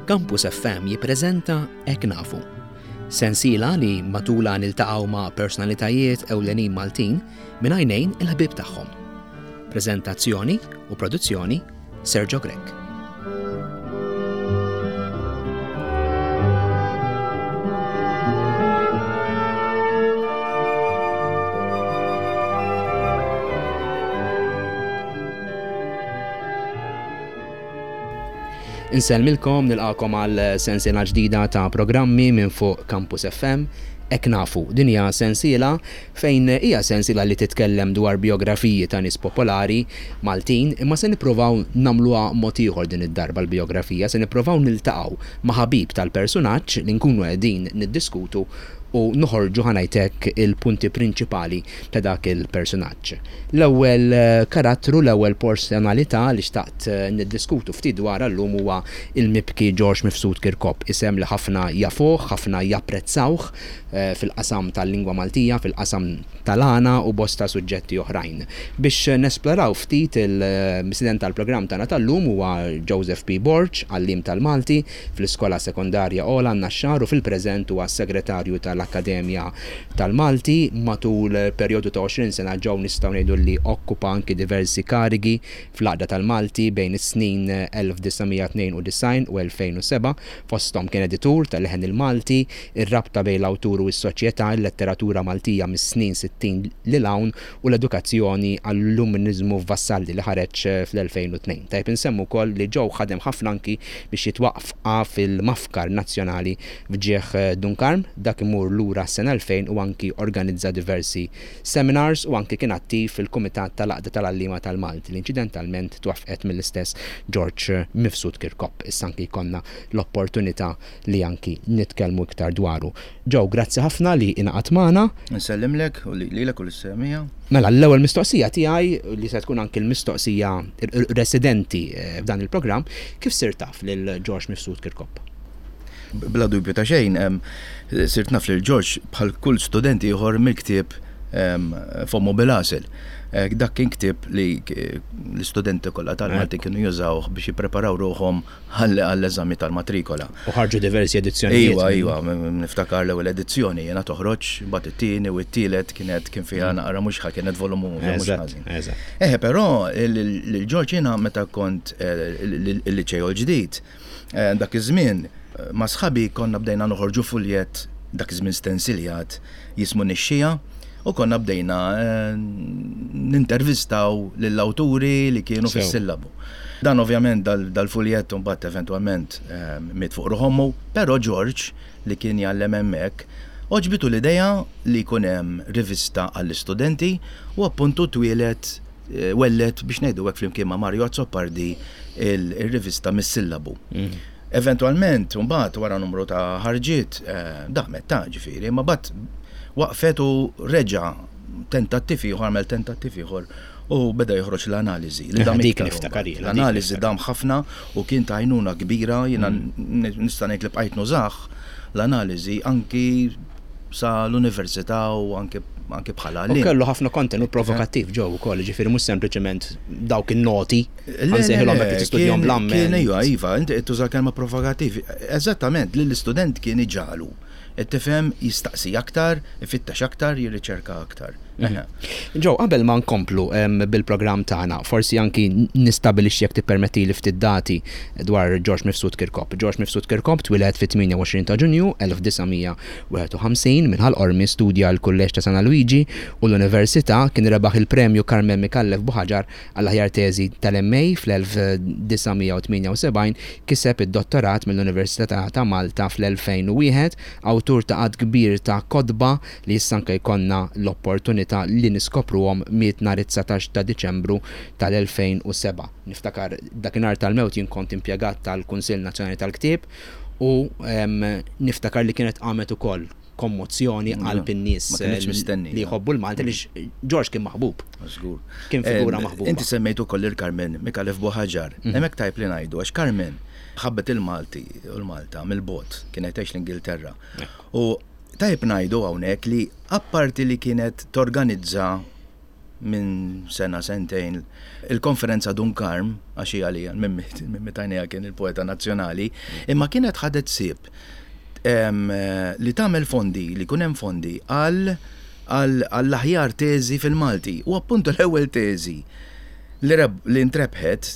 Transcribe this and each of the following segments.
Campus FM jippreżenta Hekk Nafu. Sensiela li matulha niltaqgħu ma' personalitajiet ewlenin Maltin minn għajnejn il-ħbieb tagħhom. Preżentazzjoni u produzzjoni Sergio Grech. Insellmilkom, nilqakom għal sensiela ġdida ta' programmi minn fuq Campus FM. Hekk nafu, din hija sensiela fejn hija sensiela li titkellem dwar bijografiji ta' nies popolari Maltin, imma se nippruvaw nagħmluha mod ieħor din id-darba l-bijografija, se nippruvaw niltaqgħu ma' ħabib tal-persunaġġ li nkunu qegħdin niddiskutu u noħorġu ħa ngħid hekk il-punti prinċipali ta' dak il-persunaġġ. L-ewwel karattru, l-ewwel personalità li xtaqt niddiskutu ftit dwarha llum huwa l-mibki Ġorġ Mifsud Kirkop, isem li ħafna jafuh, ħafna japprezzawh fil-qasam tal-lingwa Maltija, fil-qasam tal-għana u bosta suġġetti oħrajn. Biex nesploraw ftit il-mistieden tal-programm tagħna tal-lum huwa Joseph P. Borg, għalliem tal-Malti fl-Iskola Sekondarja Ogħla n-Naxxar u fil-preżent huwa s-Segretarju tal-Akkademja tal-Malti. Matul perjodu ta' 20 sena Joe nistgħu ngħidu li okkupa anki diversi karigi fl-Għaqda tal-Malti bejn is-snin 1992 u 2007. Fosthom kien editur ta' Leħen il-Malti, Ir-rabta bejn l-awtur u s-soċjetà, il-letteratura Maltija mis-snin 60 lil hawn u l-edukazzjoni għall-illuminiżmu f'Vassalli li ħareġ fl-2002. Tajjeb insemmu wkoll li Joe ħadem ħafna anki biex jitwaqqfa fil-Mafkar Nazzjonali f'ġieħ Dun Karm, dak imur lura għas-sena 2000 u anki organizza diversi seminars u anki kien attiv fil-Kumitat tal-Għaqda tal-Għalliema tal-Malti li inċidentalment twaffqet mill-istess George Mifsud Kirkop. Issa anki jkollna l-opportunità li anki nitkellmu iktar dwaru. Joe, grazzi ħafna li ingħaqadt magħna. Insellimlek u lilek u lis-semmiegħa. Mela, l-ewwel mistoqsija tiegħi, li se tkun anki l-mistoqsija residenti f'dan il-programm, kif sirt taf lil George Mifsud Kirkop? Bla dubju ta' xejn, sirt naf lil George bħal kull student ieħor mill-ktieb Fommu bil-Għasel. Dak kien ktieb li l-istudenti kollha tal-Malti kienu jużawh biex jippreparaw ruħhom għall-eżami tal-matrikola. U ħarġu diversi edizzjonijiet. Iva, iva, niftakar l-ewwel edizzjoni jiena toħroġ, mbagħad it-tieni u t-tielet kienet kien fiha naqra mhux ħa kienet volumu mhux ħażin. Eħe, però lil George jiena meta kont il-liċeo l-ġdid, Dak iż-żmien, ma' sħabi konna bdejna noħorġu fuljett, dak iż-żmien stensiljat, jismu Nixxija, u konna bdejna nintervistaw lill-awturi li kienu fis-sillabu. Dan ovvjament dal-fuljett imbagħad eventwalment miet fuq ruħ ommu, però George li kien jgħallem hemmhekk, għoġbitu l-idea li jkun hemm rivista għall-istudenti u appuntu twieled welled biex ngħidu hekk flimkien ma' Mario Azzopardi il-rivista Mis-Sillabu. Mhm. Eventwalment, mbagħad wara numru ta' ħarġiet, eh, damet ta' ġifieri, ma bat waqfet u reġa' tentattiv ieħor, għamel tentattiv ieħor u beda joħroġ l-analiżi. Li dam dik niftakar L-analiżi dam ħafna u kien ta' għajnuna kbira, jiena mm. nista' ngħid li bqajt nużah l-analiżi anki sa l-università u anke anke bħala għalliem. U kellu ħafna kontenut provokattiv ġew ukoll, ġifieri mhux sempliċement dawk in-noti ħansejħilhom hekk tistudjahom bl-amment. Kien iva, iva, inti qed tuża kelma provokattiv. Eżattament, lill-istudent kien iġagħlu. Qed tifhem jistaqsi aktar, ifittex aktar, jirriċerka aktar. Joe, qabel ma nkomplu bil-programm tagħna, forsi anki nistabilixxi jekk tippermettili ftit dati dwar George Mifsud Kirkop. George Mifsud Kirkop twieled fit-28 ta' Ġunju 1951 minn Ħal Qormi, studja l-Kulleġġ ta' San Alwiġi u l-Università, kien rebaħ il-Premju Carmen Micallef Buħaġar għall-aħjar teżi tal-MA fl-1978, kiseb id-dottorat mill-Università ta' Malta fl-2001, awtur ta' għadd kbir ta' kotba, li issa anke jkollna l-opportunità li niskopruhom, miet nhar it-19 ta' Diċembru tal-2007. Niftakar dakinhar tal-mewt jien kont impjegat tal-Kunsill Nazzjonali tal-Ktieb u niftakar li kienet qamet ukoll kommozzjoni qalb in-nies li jħobbu l-Malti għaliex George kien maħbub. Żgur. Kien figura maħbuba. Inti semmejt ukoll lil Carmen Micallef Buħaġar. Hemmhekk tajjeb li ngħidu għax Carmen ħabbet il-Malti u l-Malta mill-bogħod, kienet tgħix l-Ingilterra. U Tajjeb ngħidu hawnhekk li apparti li kienet torganizza minn sena sentejn il-konferenza Dun Karm, għax hija li Mimmi Tajnija kien il-poeta nazzjonali, imma kienet ħadet ħsieb li tagħmel fondi, li jkun hemm fondi għal għall-aħjar teżi fil-Malti. U appuntu l-ewwel teżi li ntrebħet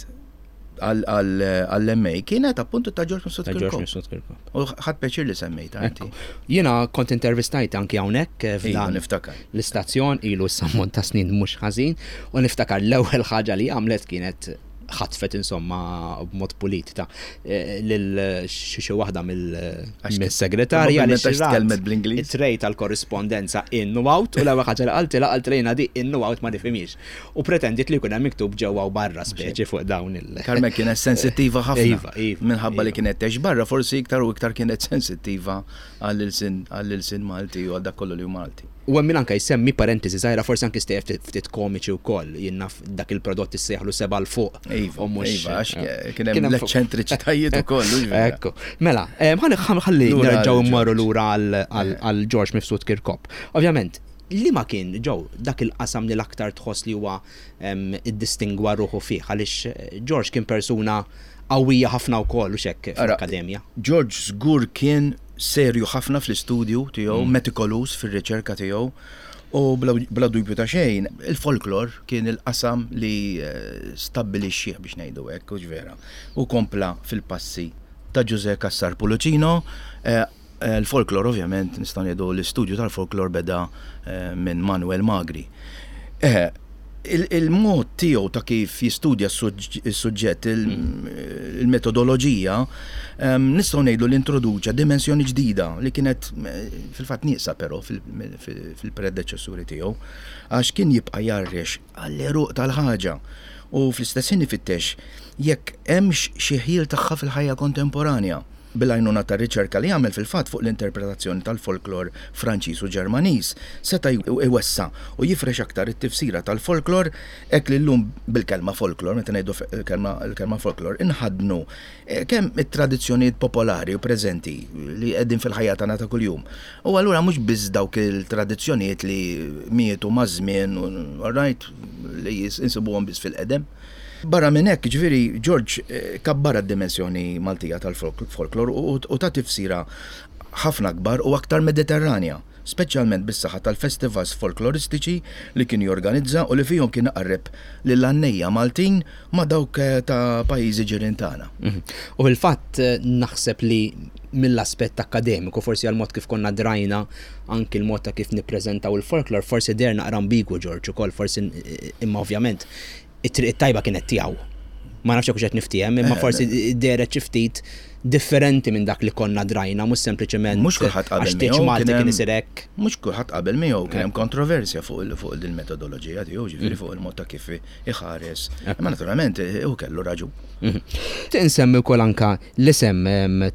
għall-MA kienet appuntu ta' George Mifsud Kirkop. U ħadt pjaċir li semmejtha inti. Jiena kont intervistajt anki hawnhekk eh, f'dan niftakar. L-istazzjon ilu s-sammont ta' snin mhux ħażin u niftakar l-ewwel ħaġa li għamlet kienet ħatfet insomma b'mod pulit ta' eh, lil xi waħda mill-segretarja li tkellmet bl-Ingliż. It-trej tal-korrispondenza in u out u l-ewwel ħaġa li qaltilha qaltilha di in u out ma nifhimiex. U pretendiet li jkun hemm miktub ġewwa u barra speċi fuq dawn il. Carmen kienet sensittiva ħafna. Iva, iva. Minħabba li iva. kienet tgħix barra, forsi iktar u iktar kienet sensittiva għall-ilsien Malti u għal dak kollu li hu Malti. U hemm min anke jsemmi parentesi żgħira forsi anke stejjer ftit komiċi wkoll, jien naf dak il-prodott issejjaħlu seba' 'l fuq. Iva, u mhux iva, għax eh, kien hemm l-eċċentriċitajiet ukoll. Ekku. Mela, eh, ħalli nerġgħu mmorru lura għal George Mifsud Kirkop. Ovvjament, Liema kien, Joe, dak il-qasam li l-aktar tħoss li huwa iddistingwa ruħu fih? Għaliex George kien persuna qawwija ħafna wkoll, hux hekk, fl-akkademja. George żgur kien serju ħafna fl-istudju tiegħu, metikoluż fir-riċerka tiegħu u bla dubju ta' xejn, il-folklor kien il-qasam li stabbilixxieh biex ngħidu hekk, hux vera? U kompla fil-passi ta' Ġużè Cassar Pullicino, Il-folklor ovvjament nistgħu ngħidu l-istudju tal-folklor beda minn Manuel Magri. Il-mod tiegħu ta' kif jistudja s-suġġett, il-metodoloġija, nistgħu ngħidu li introduċa dimensjoni ġdida li kienet fil-fatt nieqsa però fil-predeċessuri tiegħu, għax kien jibqa' jgħarrex għall-għeruq tal-ħaġa u fl-istess ħin ifittex jekk hemmx xi ħjiel tagħha fil-ħajja kontemporanja. Bil-għajnuna ta' riċerka li għamel fil-fatt fuq l-interpretazzjoni tal-folklor Franċiż u Ġermaniż, seta' jwessa' u jifrex aktar it-tifsira tal-folklor hekk li llum bil-kelma folklor, meta ngħidu l-kelma folklor, inħaddnu kemm it-tradizzjonijiet popolari u preżenti li qegħdin fil-ħajja tagħna ta' kuljum. U allura mhux biss dawk il-tradizzjonijiet li mietu maż-żmien, all right, li insibuhom biss fil-qedem. Barra minn hekk, jiġifieri, George kabbarha d-dimensjoni Maltija tal-folklor u ta tifsira ħafna akbar u aktar Mediterranja, speċjalment bis-saħħa tal-festivals folkloristiċi li kien jorganizza u li fihom kien iqarreb lill-għannejja Maltin ma' dawk ta' pajjiżi ġirien tagħna. U fil-fatt naħseb li mill-aspett akkademiku, forsi għall-mod kif konna drajna anki l-mod ta' kif nippreżentaw il-folklor, forsi deher naqra ambigwu George ukoll, forsi imma ovvjament it-triq it-tajba kienet tiegħu. Ma nafx jekk hux qed niftiehem, imma forsi dehret xi ftit differenti minn dak li konna drajna, mhux sempliċement Mhux kulħadd qabel għax tieġ miegħu, Malti kien kien hemm isir hekk. Mhux kulħadd qabel miegħu, kien hemm kontroversja fuq fuq il-metodoloġija tiegħu, ġifieri fuq il-mod ta' kif iħares. Imma naturalment hu kellu raġun. Nixtieq insemmi wkoll anke l-isem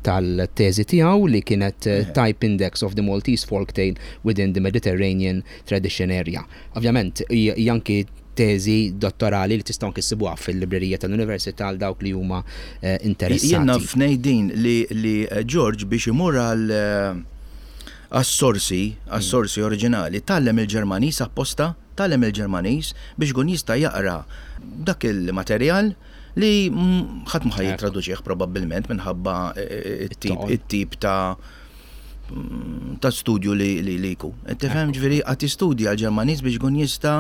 tal-teżi tiegħu li kienet Type Index of the Maltese Folktale within the Mediterranean Tradition Area. Ovvjament hija anki teżi dottorali li tistgħu anki ssibuha fil-librerija tal-Università għal dawk li huma interessati. Jien naf ngħid din li li George biex imur għal għas-sorsi, għas-sorsi oriġinali, tgħallem il-Ġermaniż apposta, tgħallem il-Ġermaniż biex ikun jista' jaqra dak il-materjal li ħadd ma ħa jittraduċih probabbilment minħabba t-tip ta' ta' studju li li jkun. Tifhem ġifieri qed jistudja l-Ġermaniż biex ikun jista'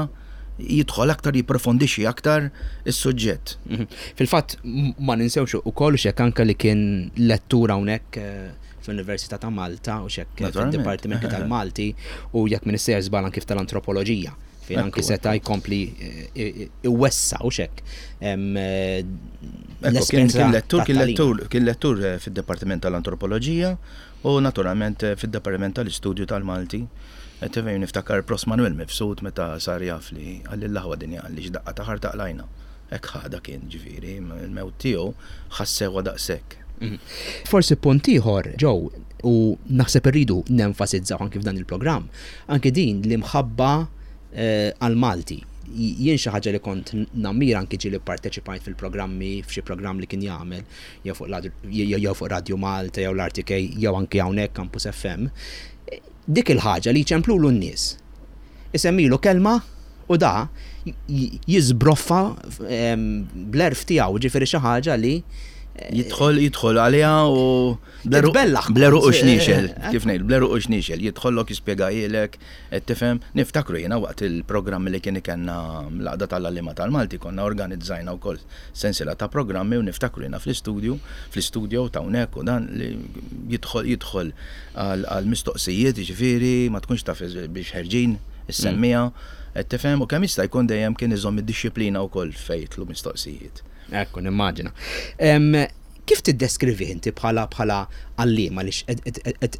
jidħol aktar jipprofondixxi aktar is-suġġett. Mhm. Fil-fatt ma ninsewx ukoll x'hekk anke li kien lettur hawnhekk eh, fl-Università ta' Malta u x'hekk fid-Dipartimenti tal-Malti u jekk minn sejjer żball anke tal-Antropoloġija fejn anki seta' jkompli eh, iwessa u x'hekk. Eh, kien lettur, kien lettur, kien lettur fid-Dipartiment tal-Antropoloġija U naturalment fid-Dipartiment tal-Istudju tal-Malti. Qed tifhem niftakar Pros Manuel Mifsud meta sar jaf li qalli l-aħwa dinja qalli x'daqqa ta' ħarta qlajna. Hekk ħadha kien ġifieri, il-mewt tiegħu ħassewha daqshekk. Forsi punt ieħor, Joe, u naħseb irridu nenfasizzaw anki f'dan il-programm, anki din l-imħabba għall-Malti. Jien xi ħaġa li kont nammira anki ġieli pparteċipajt fil-programmi, f'xi programm li kien jagħmel, jew fuq jew fuq Radju Malta jew l-RTK jew anki hawnhekk Campus FM, dik il-ħaġa li jċemplulu n-nies. Isemmilu kelma U da jiżbroffa bl-għerf tiegħu, ġifieri xi ħaġa li Jidħol, jidħol għaliha u Titbellaħ. Bleru u xniexel, kif ngħid, bleru u xniexel, jidħollok jispjegajilek, qed tifhem. Niftakru jiena waqt il-programmi li kien ikenna l-Għaqda tal-Għalliema tal-Malti konna organizzajna wkoll sensiela ta' programmi u niftakru jiena fl-istudju, fl-istudio ta' hawnhekk u dan li jidħol jidħol għal mistoqsijiet, jiġifieri ma tkunx taf biex ħerġin is-semmiegħa, qed tifhem, u kemm jista' jkun dejjem kien iżomm id-dixxiplina wkoll fejn jidħlu mistoqsijiet. Ekku, nimmaġina. Kif tiddeskrivih inti bħala bħala għalliem għaliex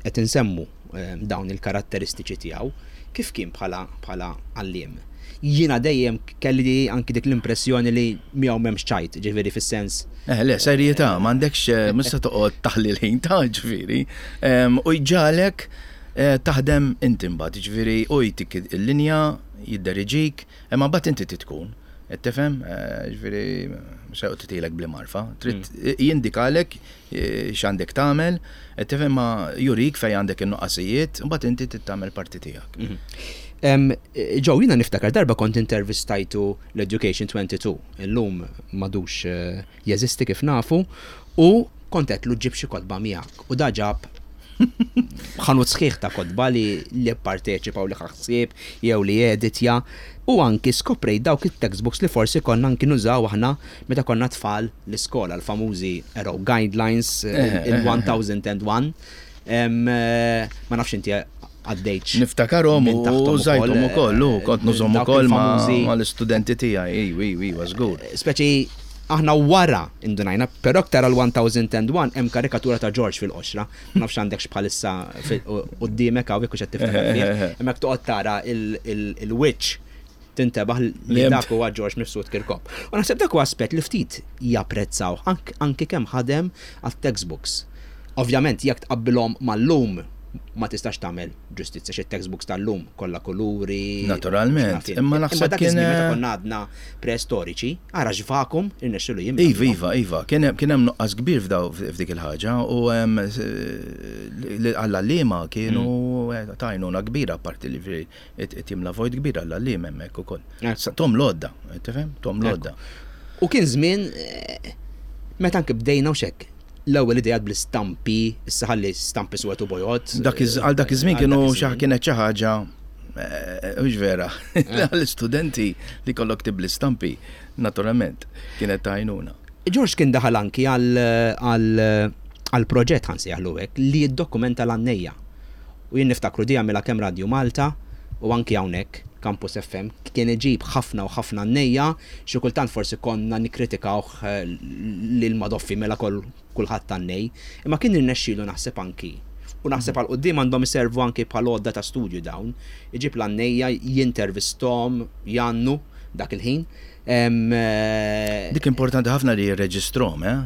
qed insemmu dawn il-karatteristiċi tiegħu, kif kien bħala bħala għalliem? Jiena dejjem kelli anki dik l-impressjoni li miegħu m'hemmx ċajt, ġifieri fis-sens. Eh, le, serjetà, m'għandekx mhux se toqgħod taħli l-ħin ta' ġifieri. U jġagħlek taħdem inti mbagħad, ġifieri hu jtik il-linja, jidderiġik, imma mbagħad inti trid tkun. Qed tifhem? Ġifieri mhux se joqgħod titilek bl-imgħarfa. Trid jindikalek x'għandek tagħmel, qed tifhem ma jurik fejn għandek in-nuqqasijiet, imbagħad inti trid tagħmel parti tiegħek. Joe, jiena niftakar darba kont intervistajtu l-Education 22, illum m'għadux jeżisti kif nafu, u kont għedtlu ġib xi kotba miegħek u da ġab ħanut sħiħ ta' kotba li li pparteċipa u li ħa ħsieb jew li editja u anki skoprejt dawk it-textbooks li forsi konna anki nużaw aħna meta konna tfal l-iskola, l-famużi Arrow Guidelines, il-1001. Ma nafx inti għaddejtx. Niftakarhom u użajthom ukoll, u kont nużhom ukoll mal-istudenti tiegħi, iwa, iwa, iwa, żgur. Speċi aħna wara indunajna, però aktar għal 1001 hemm karikatura ta' George fil-qoxra. Ma nafx għandekx bħalissa quddiemek hawn jekk hux qed tiftakar fih. Hemmhekk toqgħod tara il-wiċċ tintebaħ li dak huwa George Mifsud Kirkop. U naħseb dak huwa aspett li ftit japprezzaw anki kemm ħadem għat-textbooks. Ovvjament jekk tqabbilhom mal-lum ma tistax tagħmel ġustizzja xi textbooks tal-lum kollha kuluri. Naturalment, imma naħseb dak iż-żmien meta konna għadna preistoriċi, ara x'vakum irnexxielu jimla. Iva, iva, iva, kien hemm nuqqas kbir f'dik il-ħaġa u għall-għalliema kienu ta' għajnuna kbira apparti li Qed jimla vojt kbir għall-għalliem hemmhekk ukoll. Tom l-għodda, tifhem? Tom l-għodda. U kien żmien eh, meta anke bdejna u xekk l-ewwel idejat bl-istampi, issa ħalli stampi swed u bojod. Għal dak iż-żmien kienu kienet xi ħaġa eh, mhux vera. Eh. Għall-istudenti li kollok tib l-istampi, naturalment, kienet tajnuna. George kien daħal anki għal proġett ħansejħlu hekk li jiddokumenta l-għannejja. U jien niftakru di għamilha kemm Radju Malta u anki hawnhekk, Campus FM, kien iġib ħafna u ħafna għannejja, xi kultant forsi konna nikkritikawh li l-Madoffi mela kulħadd għannej, imma kien irnexxielu naħseb anki, u naħseb għal quddiem għandhom iservu anki bħal għodda ta' studju dawn, iġib l-għannejja, jintervisthom, jgħannu dak il-ħin. Dik importanti ħafna li jirreġistrhom, eh?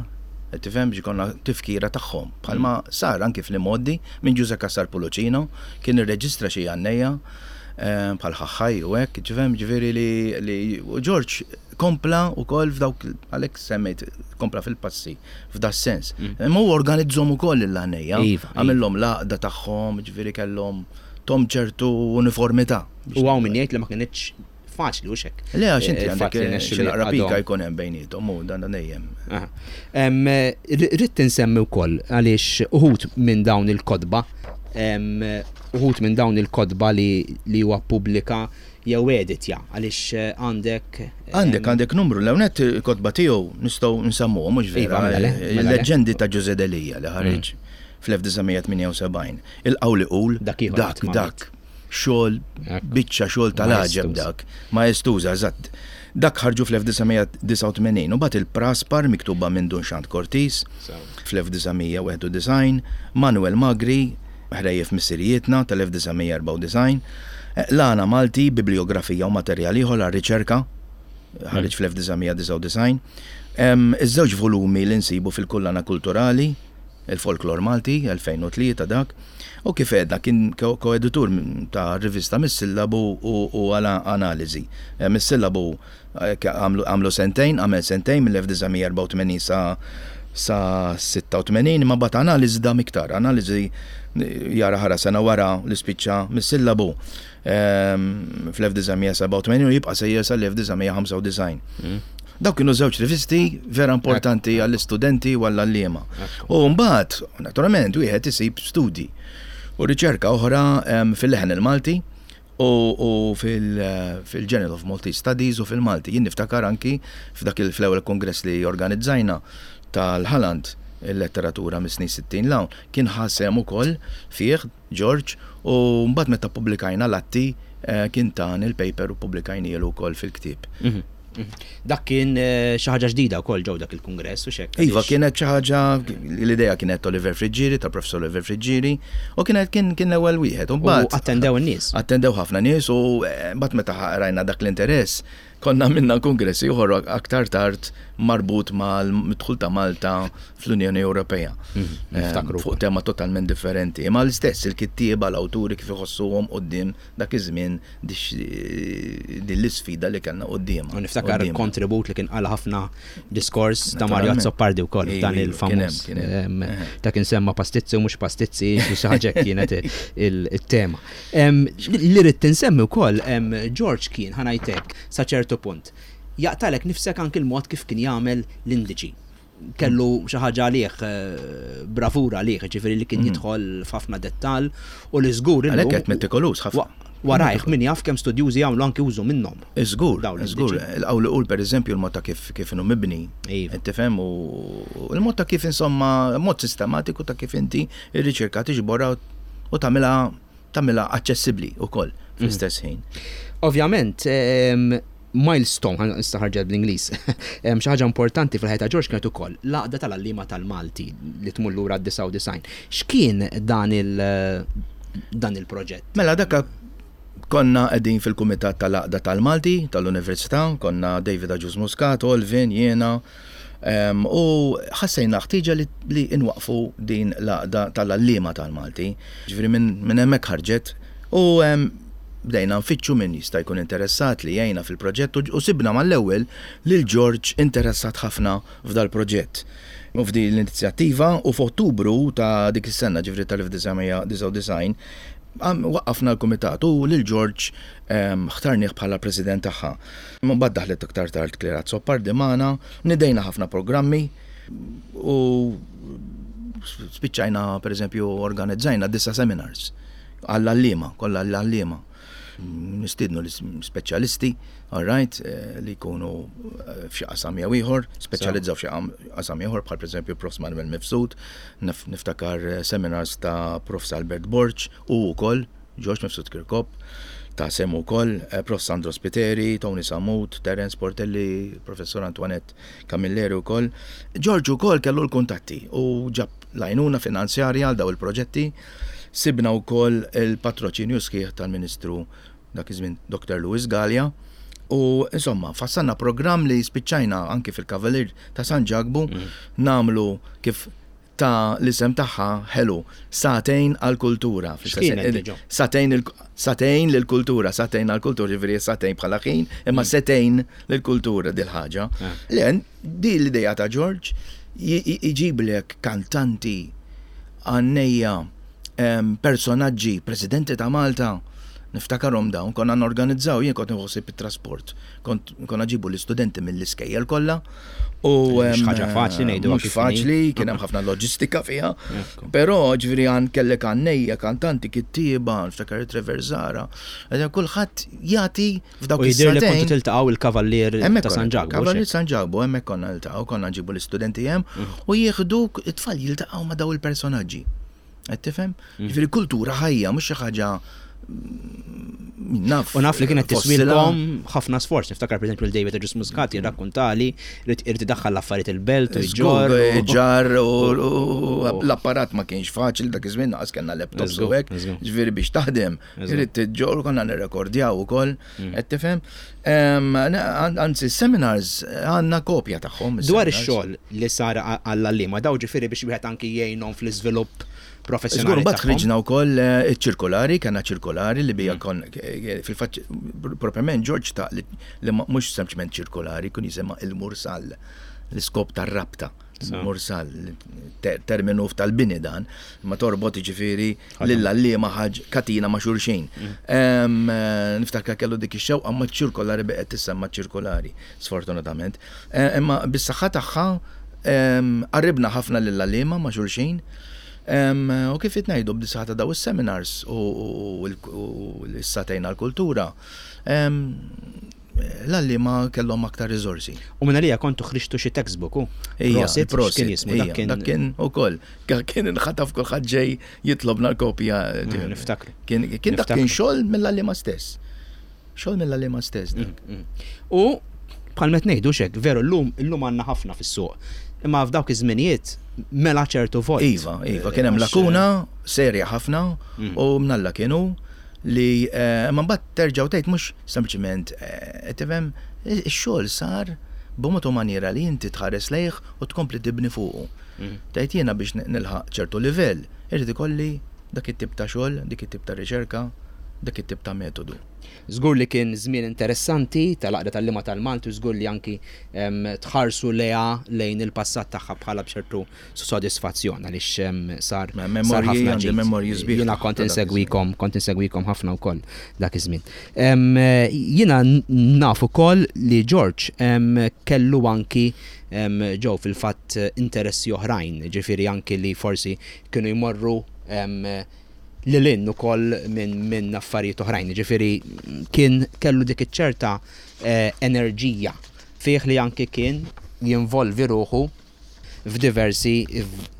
Qed tifhem biex ikollna tifkira tagħhom. Bħalma sar anki fl-imgħoddi minn Ġużè Cassar Pullicino kien irreġistra xi għannejja eh, bħal ħaħħaj u hekk, tifhem ġifieri li u Ġorġ kompla wkoll f'dawk għalhekk semmejt kompla fil-passi f'da sens. Imma hu organizzhom ukoll l-għannejja, iva, iva. għamilhom l-għaqda tagħhom, ġifieri kellhom tom ċertu uniformità. U hawn min jgħid li ma kinitx faċli hux hekk. Le għax inti għandek xi naqra pika jkun hemm bejniethom u dan dejjem. Ridt insemmi wkoll għaliex uħud minn dawn il-kotba uħud minn dawn il-kotba li huwa ppubblika jew editja għaliex għandek Għandek għandek numru l-ewwel il-kotba tiegħu nistgħu nsemmuhom mhux vera. Iva, mela le, mela le. Il-leġġendi ta' Ġużè Delia li ħareġ fl-1978. Il-Qawli Qul Dak ieħor dak dak Xogħol, biċċa xogħol tal-għaġeb dak. Maestuża, eżatt. Dak ħarġu fl-1989 u mbagħad il-Praspar miktuba minn Dun Xand Cortis fl-1991, Manuel Magri, Ħrejjef Missirijietna tal-1994, L-Għana Malti, Bibliografija u materjal ieħor għar-riċerka, ħareġ fl-1999. Iż-żewġ volumi li nsibu fil-Kullana Kulturali, Il-Folklor Malti, 2003 dak, u kif għedna kien koeditur ta' rivista Mis-Sillabu u Analiżi. Mis-Sillabu għamlu sentejn, għamel sentejn mill-1984 sa sa 86 imma mbagħad analiżi dam iktar. Analiżi jara ħara sena wara li spiċċa mis-sillabu fl-1987 u jibqa' sejjer sal-1995. Dawk kienu żewġ rivisti vera importanti għall-istudenti u għall-għalliema. U mbagħad, naturalment, wieħed isib studji u riċerka oħra fil-leħen il-Malti u fil-Journal of Maltese Studies u fil-Malti. Jien niftakar anki f'dak fl-ewwel kongress li organizzajna tal-Ħaland il-letteratura mis-snin 60 l-hawn, kien ħa sehem ukoll fih George u mbagħad meta ppubblikajna l-atti kien tani l-paper u ppubblikajnielu wkoll fil-ktieb. Dak kien eh, xi ħaġa ġdida wkoll ġew dak il-kungress u xek. Iva, kienet xi ħaġa l-idea kienet Oliver Friggieri, ta' Professor Oliver Friggieri, u kienet kien kien l-ewwel wieħed. U mbagħad attendew in-nies. Attendew ħafna nies u eh, mbagħad meta rajna dak l-interess, konna minna kongress ieħor aktar tard marbut mal-dħul ta' Malta fl-Unjoni Ewropea. Mhm, eh, fuq tema totalment differenti. Imma l-istess il-kittieba l-awturi kif iħossuhom quddiem dak iż-żmien din l-isfida li kellna quddiemha. U niftakar kontribut li kien qala ħafna diskors ta' Mario Azzopardi wkoll dan il-famuż. Ta' kien semma pastizzi u mhux pastizzi, xi ħaġa kienet il-tema. Li rrid tinsemmi wkoll George kien ħanajtek sa ċertu punt. Jaqtalek nifsek anki l-mod kif kien jagħmel l-indiċi. kellu xi ħaġa għalih, eh, bravura għalih, ġifieri li kien mhm. jidħol f'ħafna dettall u li żgur Għalhekk qed metikolus ħafna. Warajh min jaf kemm studjużi jagħmlu anki użu minnhom. Żgur, żgur. Il-qawl iqul pereżempju l-mod ta' kif kif inhu mibni. Iva. Tifhem u l-mod ta' kif insomma mod sistematiku ta' kif inti ir-riċerka tiġborha u tagħmilha tagħmilha aċċessibbli wkoll fl-istess ħin. Ovvjament, milestone, issa ħarġet bl-Ingliż, xi ħaġa importanti fil-ħajja ta' George kienet ukoll l-għaqda tal-għalliema tal-Malti li tmur lura d-99. X'kien dan il dan il-proġett? Mela dak konna qegħdin fil-kumitat tal-għaqda tal-Malti tal-Università, konna David Agius Muscat, Olvin, jiena, u ħassejna ħtieġa li nwaqfu din l-għaqda tal-għalliema tal-Malti. Ġifieri minn hemmhekk ħarġet u bdejna nfittxu min jista' jkun interessat li jgħinna fil-proġett u sibna mal-ewwel lil George interessat ħafna f'dal-proġett u f'din l-inizjattiva u f'Ottubru ta' dik is-sena, ġifieri tal-1999, waqqafna l-kumitat u lil George ħtarnih bħala president tagħha. Mbagħad daħlet iktar tard Claire Azzopardi magħna, nidejna ħafna programmi u spiċċajna pereżempju organizzajna disa' seminars għall-għalliema, kollha għall-għalliema. Nistiednu l-speċjalisti, all right, eh, li jkunu eh, f'xi qasam jew ieħor, speċjalizzaw f'xi qasam ieħor bħal pereżempju Prof. Manuel Mifsud, niftakar eh, seminars ta' Prof. Albert Borg u wkoll George Mifsud Kirkop ta' semu wkoll, Prof. Sandro Spiteri, Tony Samut, Terence Portelli, Professor Antoinette Camilleri wkoll. George ukoll kellu l-kuntatti u ġab l-għajnuna finanzjarja għal daw il-proġetti. Sibna wkoll il-patroċinju sħiħ tal-Ministru dak iż-żmien Dr. Louis Galea. U insomma, fassalna programm li spiċċajna anki fil-Kavalier ta' San Ġakbu mm. namlu kif ta' l-isem tagħha ħelu, sagħtejn għall-kultura. Sagħtejn sagħtejn lill-kultura, sagħtejn għall-kultura, ġifieri sagħtejn bħala ħin, imma mm. setejn lill-kultura dil-ħaġa. Ah. Le, di l-idea ta' George iġiblek kantanti għannejja personaġġi, presidenti ta' Malta, niftakarhom dawn, konna norganizzaw, jien kont nħossib it-trasport, kont konna ġibu l-istudenti mill-iskejjel kollha. U mhux ħaġa faċli ngħidu. Mhux faċli, kien hemm ħafna loġistika fiha. Però ġifieri għan kellek għannejja, kantanti, kittieba, niftakar Trevor Zara. Kulħadd jagħti f'dawk is Jidher li kontu tiltaqgħu il-Kavallier ta' San Ġakbu. Kavallier San Ġakbu, hemmhekk konna niltaqgħu, konna nġibu l-istudenti hemm mm. u jieħdu it-tfal jiltaqgħu ma' daw il-personaġġi. Qed tifhem? Mm. Ġifieri kultura ħajja mhux xi ħaġa mm, naf. U naf li kienet tiswilkom ħafna sforz. Niftakar pereżempju l-David Agius Muscat jirrakkuntali li irid idaħħal l-affarijiet il-belt u jġorr. Ġarr u l-apparat ma kienx faċli dak iż-żmien naqas kellna laptops u hekk. Ġifieri biex taħdem Irid tiġġor konna nirrekordjaw ukoll, mm. qed tifhem. Anzi, seminars għandna kopja tagħhom. Dwar ix-xogħol li sar għall-għalliema daw ġifieri biex wieħed anki jgħinhom fl-iżvilupp professjonali. Żgur, mbagħad ħriġna wkoll eh, ċirkolari, kellna ċirkolari li bija mm. kon eh, fil-fatt proprjament George ta' li mhux sempliċement ċirkolari, kun jisimha il-mursal l-iskop tar-rabta. Mursal, terminu tal-bini dan, ma torbot ġifiri lill-għalliema ħaġ katina ma' xulxin. Eh, niftakar kellu dik ix-xewqa ma' ċirkolari beqgħet tissemma ċirkolari, sfortunatament. Eh, imma bis-saħħa tagħha qarribna ħafna lill-għalliema ma' xulxin. U kif qed ngħidu b'disaħħa ta' daw is-seminars u l-issatejna l-kultura, l-għalliema kellhom aktar riżorsi. U minn għalija kontu ħriġtu xi textbook u? Ija, prosit, kien jismu, dak kien. Dak kien ukoll. Kien inħataf kulħadd ġej jitlobna l-kopja. Mm, niftakru. Kien dak kien xogħol mill-għalliema stess. Xogħol mill-għalliema stess dak. Mm, mm. U bħal met ngħidu xek, veru llum illum għandna ħafna fis-suq. Imma f'dawk iż-żminijiet mela ċertu vojt. Iva, iva, kien hemm lakuna serja ħafna u mnalla kienu li eh, ma mbagħad terġa' u tgħid mhux sempliċement eh, tifhem ix-xogħol sar b'mod u maniera li inti tħares lejh u tkompli tibni fuqu. Mm. Tgħid jiena biex nilħaq ċertu livell, irid ikolli dak it-tip ta' xogħol, dik it-tip ta' riċerka, dak it-tip ta' metodu. Żgur li kien żmien interessanti tal-Għaqda tal-Lima tal-Malti u żgur li anki tħarsu lejha lejn il-passat tagħha bħala b'ċertu sodisfazzjon għaliex sar sar ħafna ġid. Jiena kont insegwikom, kont insegwikom ħafna wkoll dak iż-żmien. Jiena naf ukoll li George kellu anki ġew fil-fatt interessi oħrajn, ġifieri anki li forsi kienu jmorru lil hinn ukoll minn affarijiet oħrajn. Jiġifieri kien kellu dik iċ-ċerta enerġija fih li anki kien jinvolvi ruħu f'diversi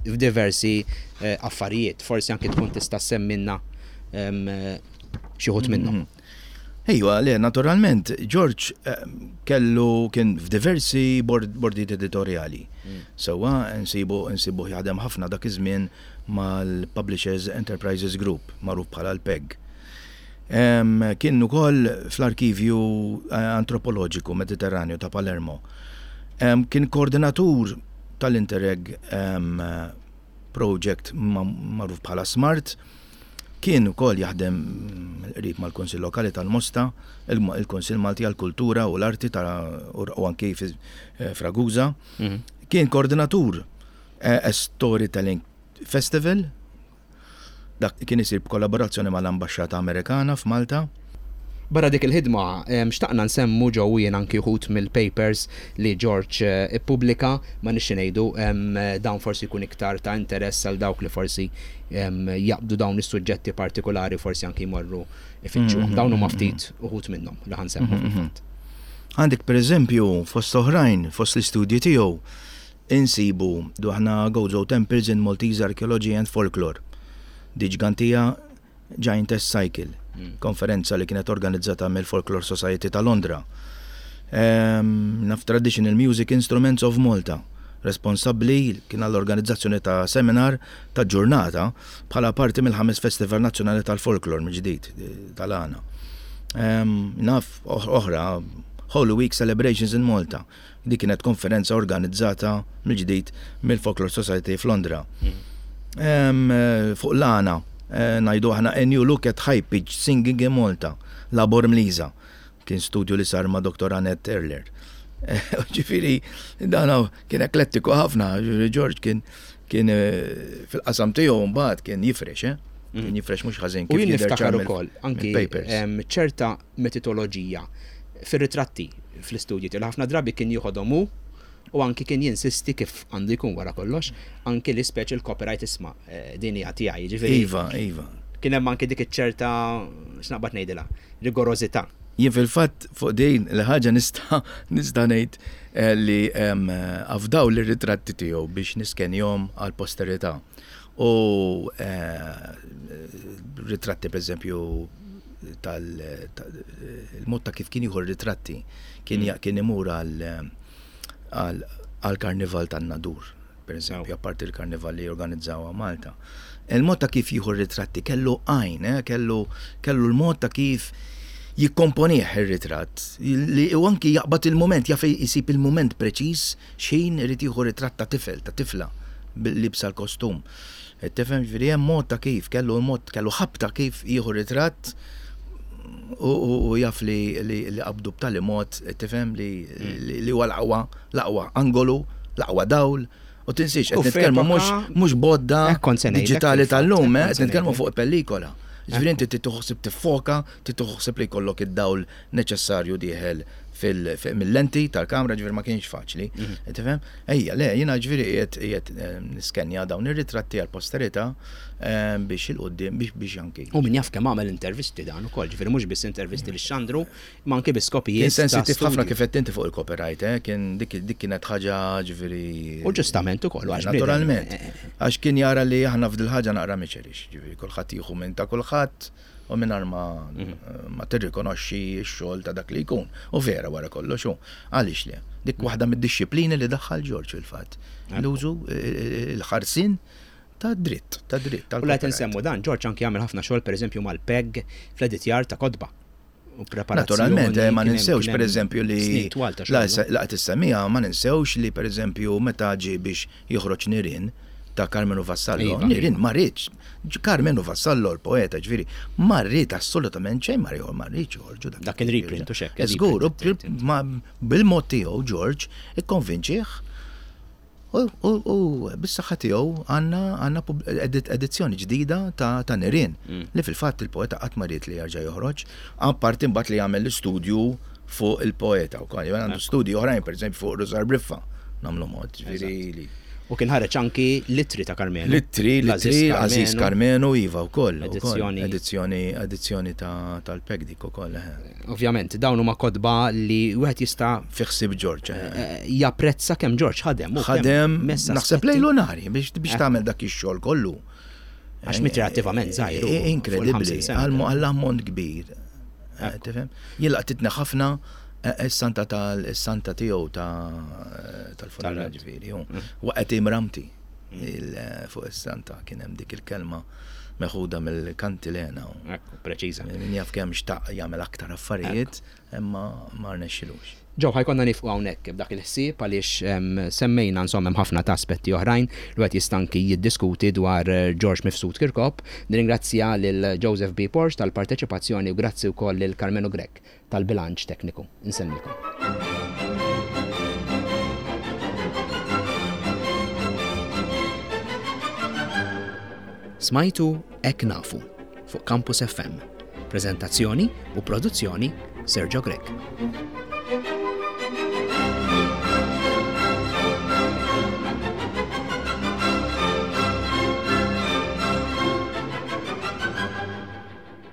f'diversi affarijiet. Forsi anki tkun tista' ssemmilna xi wħud minnhom. Ejwa, le, naturalment, George kellu kien f'diversi bordijiet editorjali. Sewwa nsibu nsibuh jaħdem ħafna dak iż-żmien mal-Publishers Enterprises Group, magħruf bħala l-PEG. Kien ukoll fl-Arkivju Antropoloġiku Mediterranju ta' Palermo. Kien koordinatur tal-Interreg Project magħruf bħala SMART. Kien ukoll jaħdem qrib mal-Kunsill Lokali tal-Mosta, il-Kunsill Malti għall-Kultura u l-Arti u anki f'Ragusa. Kien koordinatur Storytelling Festival, dak kien isir b'kollaborazzjoni mal-Ambaxxata Amerikana f'Malta. Barra dik il-ħidma, xtaqna nsemmu ġo u jien anki wħud mill-papers li George ippubblika, ma nix xi ngħidu, dawn forsi jkun iktar ta' interess għal dawk li forsi jaqbdu dawn is-suġġetti partikulari u forsi anki jmorru ifittxuhom. Dawn huma ftit uħud minnhom li ħa nsemmu fil-fatt. Għandek pereżempju, fost oħrajn, fost l-istudji tiegħu, insibu aħna Gozo Temples in Maltese Archaeology and Folklore, The Ġgantija Giantess Cycle, konferenza li kienet organizzata mill-Folklore Society ta' Londra. Naf Traditional Music Instruments of Malta, responsabbli kien għall-organizzazzjoni ta' seminar ta' ġurnata bħala parti mill-ħames Festival Nazzjonali tal-Folklore mill-ġdid tal-għana. Naf oħra Holy Week Celebrations in Malta. Dik kienet konferenza organizzata mill-ġdid mill-Folklore Society f'Londra. Fuq l-għana, eh, ngħidu aħna A New Look at High Pitch Singing in Malta, Labor Mliza. Kien studju li sar ma' Dr. Annette Erler. Ġifieri, dan kien eklettiku ħafna, George kien kien eh, fil-qasam tiegħu mbagħad kien jifrex, eh? Mm. Kien jifrex mhux ħażin. U jien niftakar ukoll anki ċerta metodoloġija fir-ritratti fl-istudji tiegħu li ħafna drabi kien jieħodhom hu u anki kien jinsisti kif għandu jkun wara kollox, anki li speċi l-copyright isma' din hija tiegħi, jiġifieri. Iva, iva. Kien hemm anki dik iċ-ċerta, x'naqbad ngħidilha, rigorożità. Jien fil-fatt fuq din il-ħaġa nista' nista' ngħid li afdaw lir-ritratti tiegħu biex niskenjhom għall-posterità. U ritratti pereżempju tal il-mod ta' kif kien jieħu r-ritratti kien mm. kien imur għal karnival tan-Nadur, pereżempju, apparti l-karnival li jorganizzaw Malta. Il-mod ta' kif jieħu r-ritratti kellu għajn, eh, kellu kellu l-mod ta' kif jikkomponih ir-ritratt li u anki jaqbad il-moment, jaf jisib il-moment preċiż x'ħin irid jieħu ritratt ta' tifel, ta' tifla libsa l-kostum. Tifhem ġifieri hemm mod ta' kif, kellu mod, kellu ħabta kif jieħu ritratt u jaf li li qabdu b'tali mod, tifhem li li huwa l-aqwa, l-aqwa angolu, l-aqwa dawl. U tinsiex, qed nitkellmu mhux bodda diġitali tal-lum, eh, qed nitkellmu fuq pellikola. Ġifieri inti trid toħsib tiffoka, trid toħsib li jkollok id-dawl neċessarju dieħel mill-lenti tal-kamra, ġifieri ma kienx faċli. Mhm. Tifhem? Ejja, le, jiena ġifieri qiegħed qiegħed eh, niskenja dawn ir-ritratti għall-posterità eh, biex il-qudiem biex biex anki. U min jaf kemm għamel intervisti dan ukoll, ġifieri mhux biss intervisti li xandru, Ma anke bi skopijiet. Kien sensittiv ħafna kif qed inti fuq il-copyright, eh? Kien dik dik kienet ħaġa ġifieri. U ġustament ukoll għax Naturalment. Eh, eh, eh. Għax kien jara li aħna f'dil ħaġa naqra miċerix, ġifieri kulħadd jieħu minn ta' kulħadd u mingħajr ma mhm. ma tirrikonoxxi x-xogħol ta' dak li jkun. U vera wara kollox hu. Għaliex le? Dik waħda mid-dixxiplini li daħħal Ġorġ fil-fatt. L-użu il-ħarsin ta' dritt, ta' dritt. U la insemmu dan, Ġorġ anki jagħmel ħafna xogħol pereżempju mal-PEG fl-editjar ta' kotba. u preparazzjoni. Naturalment, eh, ma ninsewx per eżempju li laqgħet issemmija, ma ninsewx li per eżempju meta ġie biex joħroġ Nirien ta' Karmenu Vassallo, iva. Nirien ma rridx, Karmenu Vassallo l-poeta ġifieri, ma rrid assolutament xejn ma rrid ma rridx joħorġu dak. Dak kien reprint u xekk. Żgur, bil-mod tiegħu George ikkonvinċih U bis-saħħa tiegħu għandna għandna edizzjoni ġdida ta' Nirien mm. li fil-fatt il-poeta qatt ma ried li jerġa' joħroġ, apparti mbagħad li jagħmel l-istudju fuq il-poeta wkoll. Għandu studji oħrajn pereżempju fuq Rużar Briffa nagħmlu mod, ġifieri U kien ħareġ anki l-ittri ta' Karmenu. L-ittri, l-ittri, Aziz Karmenu, iva wkoll. Edizzjoni. Edizzjoni, edizzjoni tal-PEG dik ukoll. Eh. Ovvjament, dawn huma kotba li wieħed jista' Fi ħsieb Ġorġ. Eh. Eh, japprezza kemm Ġorġ ħadem. Ħadem, naħseb lejlu nari biex biex tagħmel dak ix-xogħol kollu. Għax mitri attivament żgħir. Inkredibbli, għall-ammont kbir. Tifhem? Jien laqtitni ħafna is-santa tal-santa tiegħu tal-funeral ġifieri. Mm. Waqgħet imramti mm. fuq is-santa kien hemm dik il-kelma meħuda mill-kantilena. Ekku, preċiża. Min jaf kemm xtaq jagħmel aktar affarijiet, imma ma rnexxilux. Ġew ħajkonna nifqu hawnhekk b'dak il-ħsieb għaliex semmejna insomma hemm ħafna ta' aspetti oħrajn li wieħed jista' anki jiddiskuti dwar George Mifsud Kirkop. Nirringrazzja lil Joseph B. Porge tal-parteċipazzjoni u grazzi wkoll lil Karmenu Grech tal-bilanċ tekniku. Insellmilkom. Smajtu Hekk Nafu fuq Campus FM. Preżentazzjoni u produzzjoni Sergio Grech.